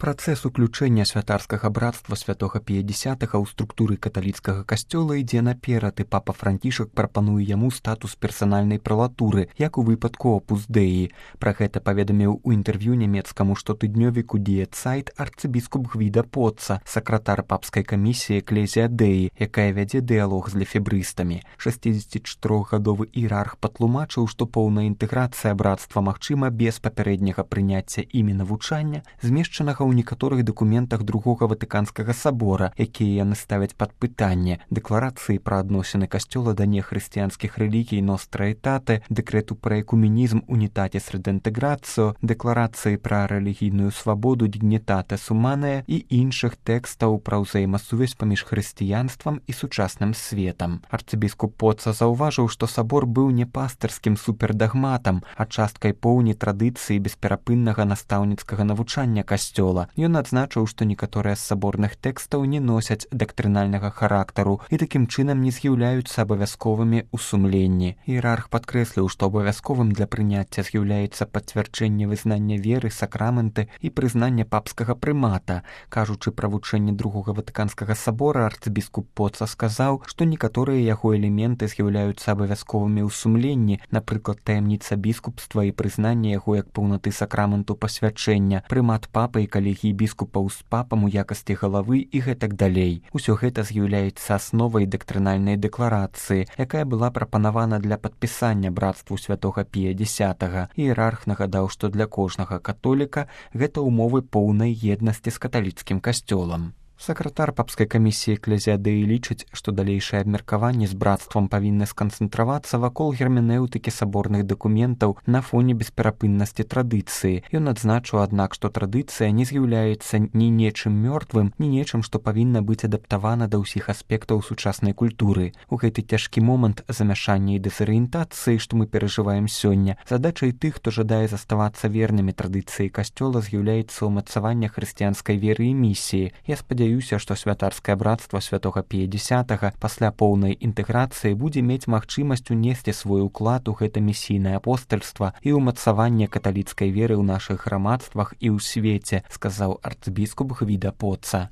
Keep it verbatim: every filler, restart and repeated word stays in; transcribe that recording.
Працэс уключэння святарскага брацтва святога Пія Дзясятага ў структуры каталіцкага касцёла ідзе наперад, і папа Францішак прапануе яму статус персанальнай пралатуры, як у выпадку Опус Деі. Пра гэта паведаміў у інтэрв'ю нямецкаму штотыднёвіку Die Zeit арцыбіскуп Гвіда Поцца, сакратар папскай камісіі Экклезія Деі, якая вядзе дыялог з лефебрыстамі. шасцідзесятчатырохгадовы іерарх патлумачыў, што поўная інтэграцыя брацтва магчыма без папярэдняга прыняцця імі навучання, змешчанага ў некаторых дакументах другога Ватыканскага сабора, якія яны ставяць пад пытанне: дэкларацыі пра адносіны касцёла да нехрысціянскіх рэлігій Nostra Aetate, дэкрэту пра экуменізм Unitatis Redintegratio, дэкларацыі пра рэлігійную свабоду Dignitatis Humanae і іншых тэкстаў пра ўзаемасувязь паміж хрысціянствам і сучасным светам. Арцыбіскуп Поцца заўважыў, што сабор быў не пастырскім супердагматам, а часткай поўні традыцыі бесперапыннага настаўніцкага навучання касцёла. Ён адзначыў, што некаторыя з саборных тэкстаў не носяць дактрынальнага характару і такім чынам не з'яўляюцца абавязковымі ў сумленні. Іерарх падкрэсліў, што абавязковым для прыняцця з'яўляецца пацвярджэнне вызнання веры, сакрамэнты і прызнання папскага прымата. Кажучы пра вучэнне другога Ватыканскага сабора, арцыбіскуп Поцца сказаў, што некаторыя яго элементы з'яўляюцца абавязковымі ў сумленні, напрыклад, таямніца біскупства і прызнанне яго як паўнаты сакраменту пасвячэння, прымат папы і калегіі біскупаў з папам у якасці галавы і гэтак далей. Усё гэта з'яўляецца асновай дактрынальнай дэкларацыі, якая была прапанавана для падпісання брацтву святога Пія Дзясятага. Іерарх нагадаў, што для кожнага католіка гэта ўмовы поўнай еднасці з каталіцкім касцёлам. Сакратар папскай камісіі Экклезія Деі лічыць, што далейшае абмеркаванне з брацтвам павінны сканцэнтравацца вакол герменэўтыкі саборных дакументаў на фоне бесперапыннасці традыцыі. Ён адзначыў, аднак, што традыцыя не з'яўляецца ні нечым мёртвым, ні нечым, што павінна быць адаптавана да ўсіх аспектаў сучаснай культуры. У гэты цяжкі момант замяшання і дэзарыентацыі, што мы перажываем сёння, задачай тых, хто жадае заставацца вернымі традыцыі касцёла, з'яўляецца ўмацаванне хрысціянскай веры і місіі. Я спадзяюся, Спадзяюся, што святарскае брацтва святога Пія Дзясятага пасля поўнай інтэграцыі будзе мець магчымасць унесці свой уклад у гэта місійнае апостальства і ўмацаванне каталіцкай веры ў нашых грамадствах і ў свеце, сказаў арцыбіскуп Гвіда Поцца.